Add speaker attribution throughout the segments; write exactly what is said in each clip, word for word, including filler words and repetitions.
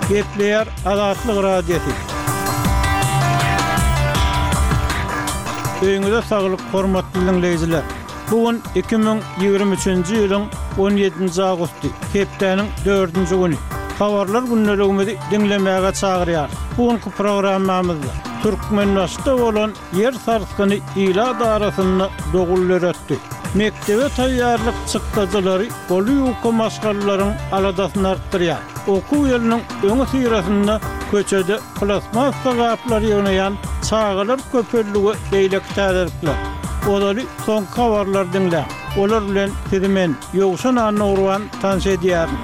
Speaker 1: Gepleýär Azatlyk Radiosy. Öýüňize saglyk, hormatly diňleýjiler! Bu gün iki müň ýigrimi üçünji ýylyň on ýedinji awgusty, hepdäniň dördünji güni. Habarlar gündeligimizi diňlemäge çagyrýarys. Bu günki programmamyzda Türkmenbaşyda bolan ýer sarsgyny ilat arasynda dowul döretdi. Mekdebe taýýarlyk çykdajylary goly ýuka maşgalalaryň aladasyny artdyrýar. Okuw ýylynyň öňüsyrasynda köçede plastmassa gaplary ýygnaýan çagalar köpeldi we beýleki täzelikler. Ozaly soňky habarlary diňläň. Olar bilen sizi men, Ýowşan Annagurban tanyş edýärin.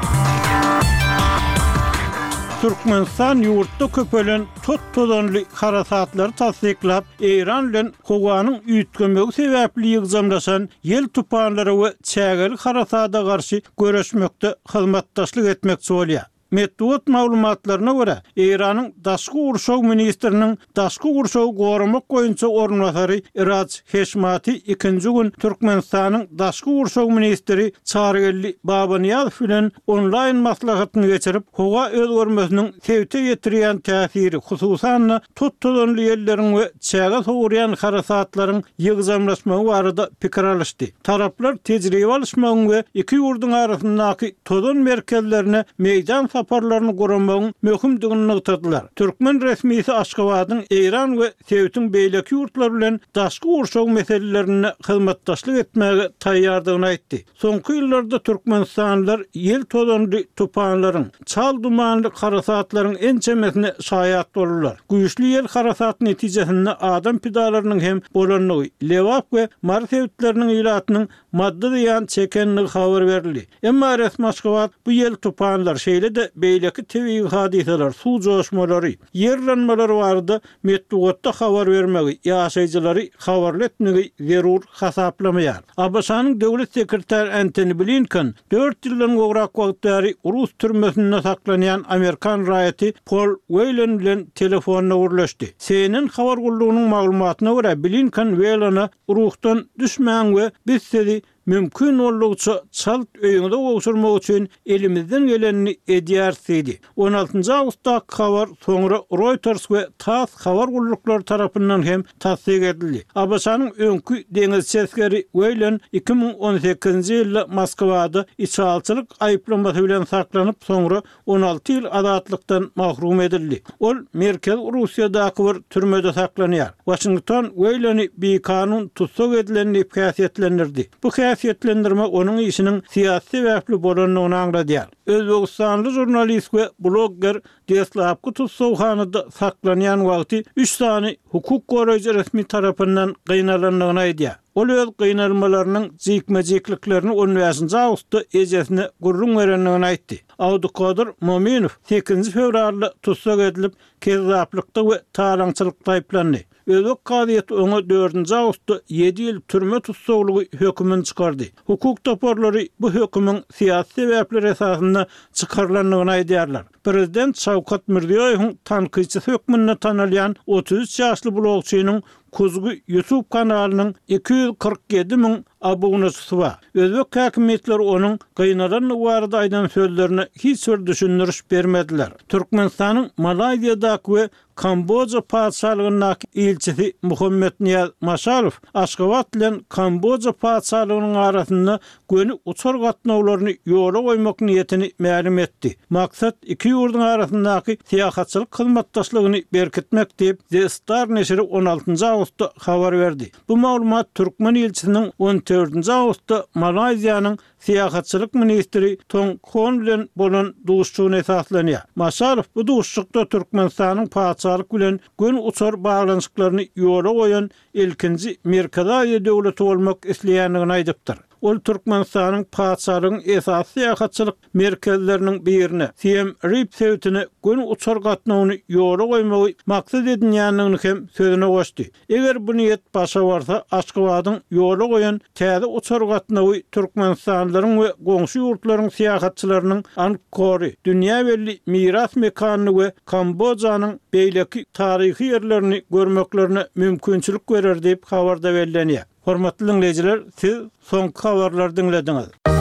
Speaker 1: Türkmenistan ýurtda köpelen tot-tozanly harasatlary tassyklap, Eýran bilen howanyň üýtgemegi sebäpli ýygjamlaşan ýel tupanlara we çägeli harasada garşy göreşmekde hyzmatdaşlyk etmekçi bolýar. Metbugat maglumatlaryna görä, Eýranyň daşky gurşaw ministriniň daşky gurşawy goramak boýunça orunbasary Iraj Heşmati ikinji gün Türkmenistanyň daşky gurşaw ministri Çarygeldi Babanyýazow bilen onlaýn maslahatyny geçirip, howa özgermesiniň sebite ýetirýän täsiri, hususan-da, tot-tozanly ýelleriň we çäge sowurýan harasatlaryň ýygjamlaşmagy barada pikir alyşdy. Taraplar tejribe alyşmagyň we iki ýurduň arasyndaky tozan merkezlerine meýdan saparlaryny guramagyň möhümdigini nygtadylar. Türkmen resmisi Aşgabadyň Eýran we sebitiň beýleki ýurtlary bilen daşky gurşaw meselelerinde hyzmatdaşlyk etmäge taýýardygyny aýtdy. Soňky ýyllarda türkmenistanlylar ýel tozanly tupanlaryň, çal dumanly harasatlaryň ençemesine şaýat boldular. Güýçli ýel harasat netijesinde adam pidalarynyň hem bolandygy, Lebap we Mary sebitleriniň ilatynyň maddy zyýan çekendigi habar berildi. Emma resmi Aşgabat bu ýel tupanlar, şeýle-de beýleki tebigy hadysalar, suw joşmalary, ýer yranmalary barada metbugatda habar bermegi, ýaşaýjylary habarly etmegi zerur hasaplamaýar. ABŞ-nyň Döwlet sekretary Entoni Blinken dört ýyldan gowrak wagt bäri rus türmesinde saklanýan amerikan raýaty Pol Weýlen bilen telefonda gürleşdi. C N N habar gullugynyň maglumatyna görä, Blinken Weýlene ruhdan düşmäň we biz sizi mümkin boldugyça çalt öýüňize gowşurmak üçin elimizden gelenini edýäris diýdi. On altynjy awgustdaky habar soňra Reuters we TASS habar gulluklary tarapyndan hem tassyk edildi. ABŞ-nyň öňki deňizçi esgeri Weýlen iki müň on sekizinji ýylda Moskwada içalyçylyk aýyplamasy bilen saklanyp, soňra on alty ýyl azatlykdan mahrum edildi. Ol Merkezi Russiýadaky bir türmede saklanýar. Waşington Weýleni bikanun tussag edilen diýip häsiýetlendirdi. Bu häsiýetlendirme onuň işiniň syýasy sebäpli bolandygyny aňladýar. Özbegistanly žurnalist we blogger deslapky tussaghanada saklanýan wagty üç sany hukuk goraýjy resmi tarapyndan gynalandygyny aýdýar. Ol öz gynalmalarynyň jikme-jikliklerini on bäşinji awgustda ejesine gürrüň berendigini aýtdy. Abdukodir Mominow sekizinji fewralda tussag edilip, kezzaplykda we talaňçylykda aýyplandy. Özbek kazyýeti oňa dördünji awgustda ýedi ýyl türme tussaglygy hökümini çykardy. Hukuk toparlary bu hökümiň syýasy sebäpler esasynda çykarylandygyny aýdýarlar. Prezident Şawkat Mirziýoýewiň tankytçysy hökmünde tanalýan otuz üç ýaşly blogçynyň Kuzgu YouTube kanalynyň iki ýüz kyrk ýedi müň abunaçysy bar. Özbek häkimiýetleri onuň gynalandygy barada aýdan sözlerine hiç bir düşündiriş bermediler. Türkmenistanyň Malaýziýadaky we Kamboja Patyşalygyndaky ilçisi Muhammetnyýaz Maşalow Aşgabat bilen Kamboja Patyşalygynyň arasynda göni uçar gatnawlaryny ýola goýmak niýetini mälim etdi. Maksat iki ýurduň arasyndaky syýahatçylyk hyzmatdaşlygyny berkitmek diýip, The Star neşiri on altynjy awgustda habar berdi. Bu maglumat türkmen ilçisiniň on dördünji awgustda Malaýziýanyň syýahatçylyk ministri Tong Hon bilen bolan duşuşygyna esaslanýar. Maşalow bu duşuşykda Türkmenistanyň patyşalyk bilen göni uçar baglanyşyklaryny ýola goýan ilkinji Merkezi Aziýa döwleti bolmak isleýändigini aýdypdyr. Ol Türkmenistanyň patyşalygyň esasy syýahatçylyk merkezleriniň birine, Siem Rip sebitine göni uçar gatnawyny ýola goýmagy maksat edinýändigini hem sözüne goşdy. Eger bu niýet başa barsa, Aşgabadyň ýola goýan täze uçar gatnawy türkmenistanlylaryň we goňşy ýurtlaryň syýahatçylarynyň Angkory, dünýä belli miras mekanyny we Kambojanyň beýleki taryhy ýerlerini görmeklerine mümkinçilik berer diýip, habarda bellenýär. Hormatly diňleýjiler, siz soňky habarlary diňlediňiz.